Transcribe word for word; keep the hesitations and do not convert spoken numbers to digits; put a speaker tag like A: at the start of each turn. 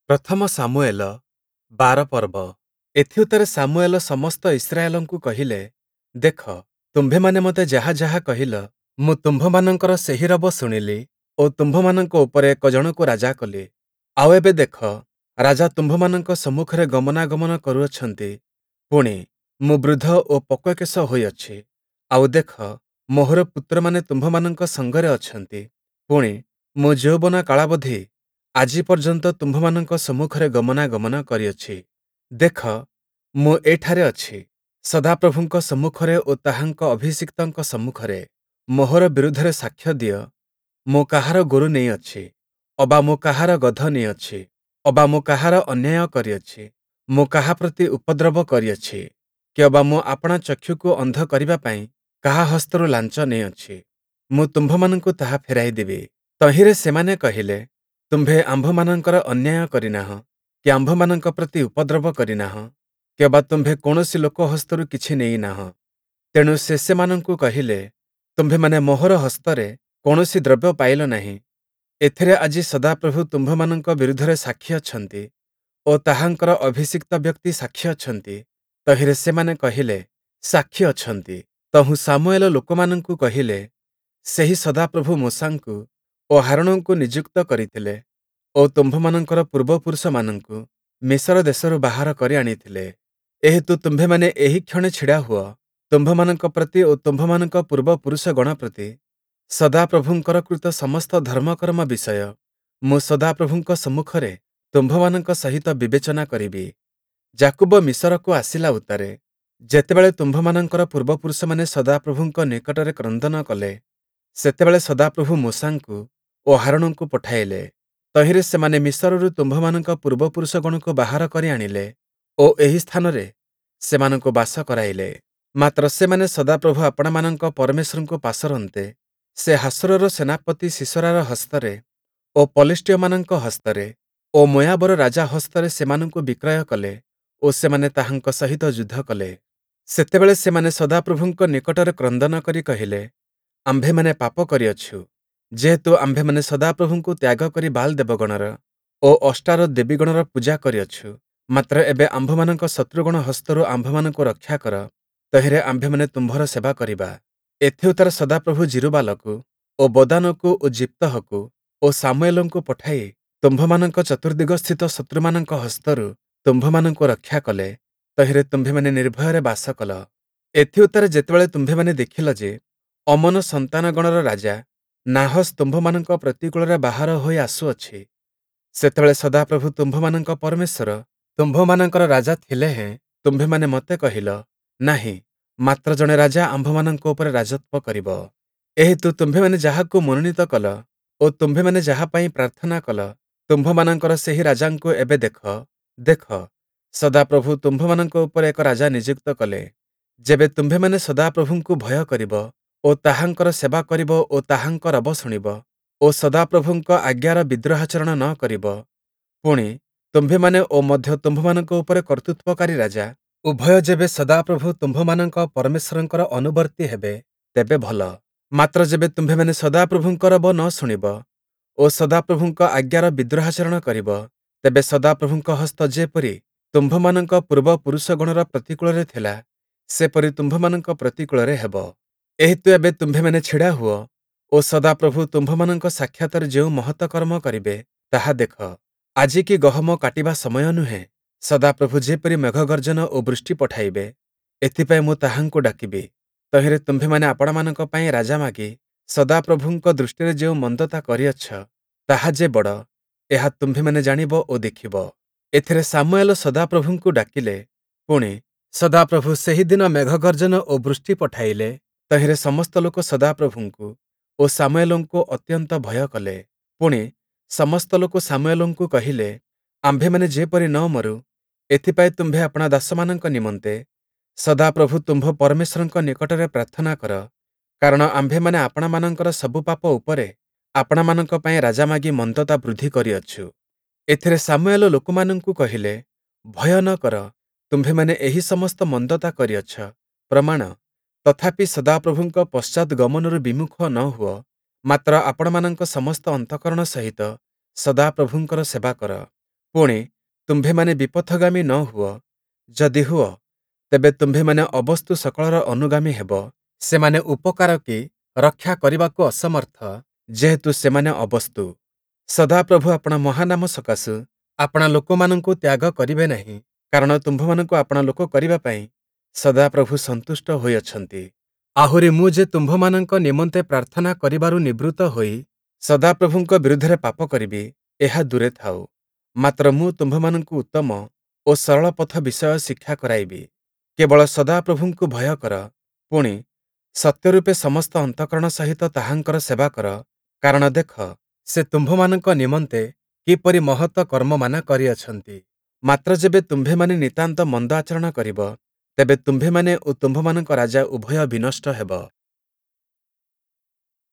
A: ପ୍ରଥମ ଶାମୁୟେଲ ବାର ପର୍ବ। ଏଥିଉତ୍ତାରେ ଶାମୁୟେଲ ସମସ୍ତ ଇସ୍ରାଏଲଙ୍କୁ କହିଲେ, ଦେଖ, ତୁମ୍ଭେମାନେ ମୋତେ ଯାହା ଯାହା କହିଲ, ମୁଁ ତୁମ୍ଭମାନଙ୍କର ସେହି ରବ ଶୁଣିଲି ଓ ତୁମ୍ଭମାନଙ୍କ ଉପରେ ଏକ ଜଣକୁ ରାଜା କଲି। ଆଉ ଏବେ ଦେଖ, ରାଜା ତୁମ୍ଭମାନଙ୍କ ସମ୍ମୁଖରେ ଗମନାଗମନ କରୁଅଛନ୍ତି। ପୁଣି, ମୁଁ ବୃଦ୍ଧ ଓ ପକ୍ୱକେଶ ହୋଇଅଛି। ଆଉ ଦେଖ, ମୋହର ପୁତ୍ରମାନେ ତୁମ୍ଭମାନଙ୍କ ସଙ୍ଗରେ ଅଛନ୍ତି। ପୁଣି, ମୁଁ ଯୌବନ କାଳାବଧି ଆଜି ପର୍ଯ୍ୟନ୍ତ ତୁମ୍ଭମାନଙ୍କ ସମ୍ମୁଖରେ ଗମନାଗମନ କରିଅଛି। ଦେଖ, ମୁଁ ଏଠାରେ ଅଛି, ସଦାପ୍ରଭୁଙ୍କ ସମ୍ମୁଖରେ ଓ ତାହାଙ୍କ ଅଭିଷିକ୍ତଙ୍କ ସମ୍ମୁଖରେ ମୋହର ବିରୁଦ୍ଧରେ ସାକ୍ଷ୍ୟ ଦିଅ, ମୁଁ କାହାର ଗୋରୁ ନେଇଅଛି, ଅବା ମୁଁ କାହାର ଗଧ ନେଇଅଛି, ଅବା ମୁଁ କାହାର ଅନ୍ୟାୟ କରିଅଛି, ମୁଁ କାହା ପ୍ରତି ଉପଦ୍ରବ କରିଅଛି, କିଅବା ମୁଁ ଆପଣା ଚକ୍ଷୁକୁ ଅନ୍ଧ କରିବା ପାଇଁ କାହା ହସ୍ତରୁ ଲାଞ୍ଚ ନେଇଅଛି, ମୁଁ ତୁମ୍ଭମାନଙ୍କୁ ତାହା ଫେରାଇ ଦେବି। ତହିଁରେ ସେମାନେ କହିଲେ, ତୁମ୍ଭେ ଆମ୍ଭମାନଙ୍କର ଅନ୍ୟାୟ କରିନାହଁ, କି ଆମ୍ଭମାନଙ୍କ ପ୍ରତି ଉପଦ୍ରବ କରିନାହଁ, କିଅବା ତୁମ୍ଭେ କୌଣସି ଲୋକ ହସ୍ତରୁ କିଛି ନେଇନାହଁ। ତେଣୁ ସେ ସେମାନଙ୍କୁ କହିଲେ, ତୁମ୍ଭେମାନେ ମୋହର ହସ୍ତରେ କୌଣସି ଦ୍ରବ୍ୟ ପାଇଲ ନାହିଁ। ଏଥିରେ ଆଜି ସଦାପ୍ରଭୁ ତୁମ୍ଭମାନଙ୍କ ବିରୁଦ୍ଧରେ ସାକ୍ଷୀ ଅଛନ୍ତି ଓ ତାହାଙ୍କର ଅଭିଷିକ୍ତ ବ୍ୟକ୍ତି ସାକ୍ଷୀ ଅଛନ୍ତି। ତହିଁରେ ସେମାନେ କହିଲେ, ସାକ୍ଷୀ ଅଛନ୍ତି। ତହୁଁ ଶାମୁୟେଲ ଲୋକମାନଙ୍କୁ କହିଲେ, ସେହି ସଦାପ୍ରଭୁ ମୋଶାଙ୍କୁ ଓ ହାରୋଣଙ୍କୁ ନିଯୁକ୍ତ କରିଥିଲେ ଓ ତୁମ୍ଭମାନଙ୍କର ପୂର୍ବପୁରୁଷମାନଙ୍କୁ ମିଶର ଦେଶରୁ ବାହାର କରି ଆଣିଥିଲେ। ଏହେତୁ ତୁମ୍ଭେମାନେ ଏହିକ୍ଷଣି ଛିଡ଼ା ହୁଅ, ତୁମ୍ଭମାନଙ୍କ ପ୍ରତି ଓ ତୁମ୍ଭମାନଙ୍କ ପୂର୍ବପୁରୁଷଗଣ ପ୍ରତି ସଦାପ୍ରଭୁଙ୍କର କୃତ ସମସ୍ତ ଧର୍ମକର୍ମ ବିଷୟ ମୁଁ ସଦାପ୍ରଭୁଙ୍କ ସମ୍ମୁଖରେ ତୁମ୍ଭମାନଙ୍କ ସହିତ ବିବେଚନା କରିବି। ଯାକୁବ ମିଶରକୁ ଆସିଲା ଉତ୍ତାରେ ଯେତେବେଳେ ତୁମ୍ଭମାନଙ୍କର ପୂର୍ବପୁରୁଷମାନେ ସଦାପ୍ରଭୁଙ୍କ ନିକଟରେ କ୍ରନ୍ଦନ କଲେ, ସେତେବେଳେ ସଦାପ୍ରଭୁ ମୋଶାଙ୍କୁ ଓ ହାରୋଣଙ୍କୁ ପଠାଇଲେ। ତହିଁରେ ସେମାନେ ମିଶରରୁ ତୁମ୍ଭମାନଙ୍କ ପୂର୍ବପୁରୁଷଗଣକୁ ବାହାର କରି ଆଣିଲେ ଓ ଏହି ସ୍ଥାନରେ ସେମାନଙ୍କୁ ବାସ କରାଇଲେ। ମାତ୍ର ସେମାନେ ସଦାପ୍ରଭୁ ଆପଣାମାନଙ୍କ ପରମେଶ୍ୱରଙ୍କୁ ପାସୋରନ୍ତେ, ସେ ହାସୋରର ସେନାପତି ସୀଷରାର ହସ୍ତରେ ଓ ପଲେଷ୍ଟୀୟମାନଙ୍କ ହସ୍ତରେ ଓ ମୋୟାବର ରାଜା ହସ୍ତରେ ସେମାନଙ୍କୁ ବିକ୍ରୟ କଲେ ଓ ସେମାନେ ତାହାଙ୍କ ସହିତ ଯୁଦ୍ଧ କଲେ। ସେତେବେଳେ ସେମାନେ ସଦାପ୍ରଭୁଙ୍କ ନିକଟରେ କ୍ରନ୍ଦନ କରି କହିଲେ, ଆମ୍ଭେମାନେ ପାପ କରିଅଛୁ, ଯେହେତୁ ଆମ୍ଭେମାନେ ସଦାପ୍ରଭୁଙ୍କୁ ତ୍ୟାଗ କରି ବାଲ୍ ଦେବଗଣର ଓ ଅଷ୍ଟାରୋତ୍ ଦେବୀଗଣର ପୂଜା କରିଅଛୁ। ମାତ୍ର ଏବେ ଆମ୍ଭମାନଙ୍କ ଶତ୍ରୁଗଣ ହସ୍ତରୁ ଆମ୍ଭମାନଙ୍କୁ ରକ୍ଷା କର, ତହିଁରେ ଆମ୍ଭେମାନେ ତୁମ୍ଭର ସେବା କରିବା। ଏଥିଉତ୍ତାରେ ସଦାପ୍ରଭୁ ଯିରୁବାଲକୁ ଓ ବଦାନକୁ ଓ ଯିପ୍ତହକୁ ଓ ଶାମୁୟେଲଙ୍କୁ ପଠାଇ ତୁମ୍ଭମାନଙ୍କ ଚତୁର୍ଦ୍ଦିଗସ୍ଥିତ ଶତ୍ରୁମାନଙ୍କ ହସ୍ତରୁ ତୁମ୍ଭମାନଙ୍କୁ ରକ୍ଷା କଲେ, ତହିଁରେ ତୁମ୍ଭେମାନେ ନିର୍ଭୟରେ ବାସ କଲ। ଏଥିଉତ୍ତାରେ ଯେତେବେଳେ ତୁମ୍ଭେମାନେ ଦେଖିଲ ଯେ, ଅମ୍ମୋନ ସନ୍ତାନଗଣର ରାଜା ନାହସ୍ ତୁମ୍ଭମାନଙ୍କ ପ୍ରତିକୂଳରେ ବାହାର ହୋଇ ଆସୁଅଛି, ସେତେବେଳେ ସଦାପ୍ରଭୁ ତୁମ୍ଭମାନଙ୍କ ପରମେଶ୍ୱର ତୁମ୍ଭମାନଙ୍କର ରାଜା ଥିଲେ ହେଁ ତୁମ୍ଭେମାନେ ମୋତେ କହିଲ, ନାହିଁ, ମାତ୍ର ଜଣେ ରାଜା ଆମ୍ଭମାନଙ୍କ ଉପରେ ରାଜତ୍ୱ କରିବ। ଏହେତୁ ତୁମ୍ଭେମାନେ ଯାହାକୁ ମନୋନୀତ କଲ ଓ ତୁମ୍ଭେମାନେ ଯାହା ପାଇଁ ପ୍ରାର୍ଥନା କଲ, ତୁମ୍ଭମାନଙ୍କର ସେହି ରାଜାଙ୍କୁ ଏବେ ଦେଖ, ଦେଖ, ସଦାପ୍ରଭୁ ତୁମ୍ଭମାନଙ୍କ ଉପରେ ଏକ ରାଜା ନିଯୁକ୍ତ କଲେ। ଯେବେ ତୁମ୍ଭେମାନେ ସଦାପ୍ରଭୁଙ୍କୁ ଭୟ କରିବ ଓ ତାହାଙ୍କର ସେବା କରିବ ଓ ତାହାଙ୍କ ରବ ଶୁଣିବ ଓ ସଦାପ୍ରଭୁଙ୍କ ଆଜ୍ଞାର ବିଦ୍ରୋହାଚରଣ ନ କରିବ, ପୁଣି, ତୁମ୍ଭେମାନେ ଓ ମଧ୍ୟ ତୁମ୍ଭମାନଙ୍କ ଉପରେ କର୍ତ୍ତୃତ୍ୱକାରୀ ରାଜା ଉଭୟ ଯେବେ ସଦାପ୍ରଭୁ ତୁମ୍ଭମାନଙ୍କ ପରମେଶ୍ୱରଙ୍କର ଅନୁବର୍ତ୍ତୀ ହେବେ, ତେବେ ଭଲ। ମାତ୍ର ଯେବେ ତୁମ୍ଭେମାନେ ସଦାପ୍ରଭୁଙ୍କ ରବ ନ ଶୁଣିବ ଓ ସଦାପ୍ରଭୁଙ୍କ ଆଜ୍ଞାର ବିଦ୍ରୋହାଚରଣ କରିବ, ତେବେ ସଦାପ୍ରଭୁଙ୍କ ହସ୍ତ ଯେପରି ତୁମ୍ଭମାନଙ୍କ ପୂର୍ବପୁରୁଷଗଣର ପ୍ରତିକୂଳରେ ଥିଲା, ସେପରି ତୁମ୍ଭମାନଙ୍କ ପ୍ରତିକୂଳରେ ହେବ। ଏହେତୁ ଏବେ ତୁମ୍ଭେମାନେ ଛିଡ଼ା ହୁଅ ଓ ସଦାପ୍ରଭୁ ତୁମ୍ଭମାନଙ୍କ ସାକ୍ଷାତରେ ଯେଉଁ ମହତ କର୍ମ କରିବେ, ତାହା ଦେଖ। ଆଜି କି ଗହମ କାଟିବା ସମୟ ନୁହେଁ? ସଦାପ୍ରଭୁ ଯେପରି ମେଘଗର୍ଜନ ଓ ବୃଷ୍ଟି ପଠାଇବେ, ଏଥିପାଇଁ ମୁଁ ତାହାଙ୍କୁ ଡାକିବି। ତହିଁରେ ତୁମ୍ଭେମାନେ ଆପଣାମାନଙ୍କ ପାଇଁ ରାଜା ମାଗି ସଦାପ୍ରଭୁଙ୍କ ଦୃଷ୍ଟିରେ ଯେଉଁ ମନ୍ଦତା କରିଅଛ, ତାହା ଯେ ବଡ଼, ଏହା ତୁମ୍ଭେମାନେ ଜାଣିବ ଓ ଦେଖିବ। ଏଥିରେ ଶାମୁୟେଲ ସଦାପ୍ରଭୁଙ୍କୁ ଡାକିଲେ, ପୁଣି, ସଦାପ୍ରଭୁ ସେହିଦିନ ମେଘଗର୍ଜନ ଓ ବୃଷ୍ଟି ପଠାଇଲେ। ତହିଁରେ ସମସ୍ତ ଲୋକ ସଦାପ୍ରଭୁଙ୍କୁ ଓ ଶାମୁୟେଲଙ୍କୁ ଅତ୍ୟନ୍ତ ଭୟ କଲେ। ପୁଣି, ସମସ୍ତ ଲୋକ ଶାମୁୟେଲଙ୍କୁ କହିଲେ, ଆମ୍ଭେମାନେ ଯେପରି ନ ମରୁ, ଏଥିପାଇଁ ତୁମ୍ଭେ ଆପଣା ଦାସମାନଙ୍କ ନିମନ୍ତେ ସଦାପ୍ରଭୁ ତୁମ୍ଭ ପରମେଶ୍ୱରଙ୍କ ନିକଟରେ ପ୍ରାର୍ଥନା କର, କାରଣ ଆମ୍ଭେମାନେ ଆପଣାମାନଙ୍କର ସବୁ ପାପ ଉପରେ ଆପଣାମାନଙ୍କ ପାଇଁ ରାଜା ମାଗି ମନ୍ଦତା ବୃଦ୍ଧି କରିଅଛୁ। ଏଥିରେ ଶାମୁୟେଲ ଲୋକମାନଙ୍କୁ କହିଲେ, ଭୟ ନ କର, ତୁମ୍ଭେମାନେ ଏହି ସମସ୍ତ ମନ୍ଦତା କରିଅଛ, ପ୍ରମାଣ, ତଥାପି ସଦାପ୍ରଭୁଙ୍କ ପଶ୍ଚାଦ୍‌ଗମନରୁ ବିମୁଖ ନ ହୁଅ, ମାତ୍ର ଆପଣମାନଙ୍କ ସମସ୍ତ ଅନ୍ତଃକରଣ ସହିତ ସଦାପ୍ରଭୁଙ୍କର ସେବା କର। ପୁଣି, ତୁମ୍ଭେମାନେ ବିପଥଗାମୀ ନ ହୁଅ; ଯଦି ହୁଅ, ତେବେ ତୁମ୍ଭେମାନେ ଅବସ୍ତୁ ସକଳର ଅନୁଗାମୀ ହେବ। ସେମାନେ ଉପକାର କି ରକ୍ଷା କରିବାକୁ ଅସମର୍ଥ, ଯେହେତୁ ସେମାନେ ଅବସ୍ତୁ। ସଦାପ୍ରଭୁ ଆପଣା ମହାନାମ ସକାଶୁ ଆପଣା ଲୋକମାନଙ୍କୁ ତ୍ୟାଗ କରିବେ ନାହିଁ, କାରଣ ତୁମ୍ଭମାନଙ୍କୁ ଆପଣା ଲୋକ କରିବା ପାଇଁ ସଦାପ୍ରଭୁ ସନ୍ତୁଷ୍ଟ ହୋଇଅଛନ୍ତି। ଆହୁରି ମୁଁ ଯେ ତୁମ୍ଭମାନଙ୍କ ନିମନ୍ତେ ପ୍ରାର୍ଥନା କରିବାରୁ ନିବୃତ୍ତ ହୋଇ ସଦାପ୍ରଭୁଙ୍କ ବିରୁଦ୍ଧରେ ପାପ କରିବି, ଏହା ଦୂରେ ଥାଉ। ମାତ୍ର ମୁଁ ତୁମ୍ଭମାନଙ୍କୁ ଉତ୍ତମ ଓ ସରଳ ପଥ ବିଷୟ ଶିକ୍ଷା କରାଇବି। କେବଳ ସଦାପ୍ରଭୁଙ୍କୁ ଭୟ କର, ପୁଣି, ସତ୍ୟରୂପେ ସମସ୍ତ ଅନ୍ତଃକରଣ ସହିତ ତାହାଙ୍କର ସେବା କର, କାରଣ ଦେଖ, ସେ ତୁମ୍ଭମାନଙ୍କ ନିମନ୍ତେ କିପରି ମହତ କର୍ମମାନ କରିଅଛନ୍ତି। ମାତ୍ର ଯେବେ ତୁମ୍ଭେମାନେ ନିତାନ୍ତ ମନ୍ଦ ଆଚରଣ କରିବ, ତେବେ ତୁମ୍ଭେମାନେ ଓ ତୁମ୍ଭମାନଙ୍କ ରାଜା ଉଭୟ ବିନଷ୍ଟ ହେବ।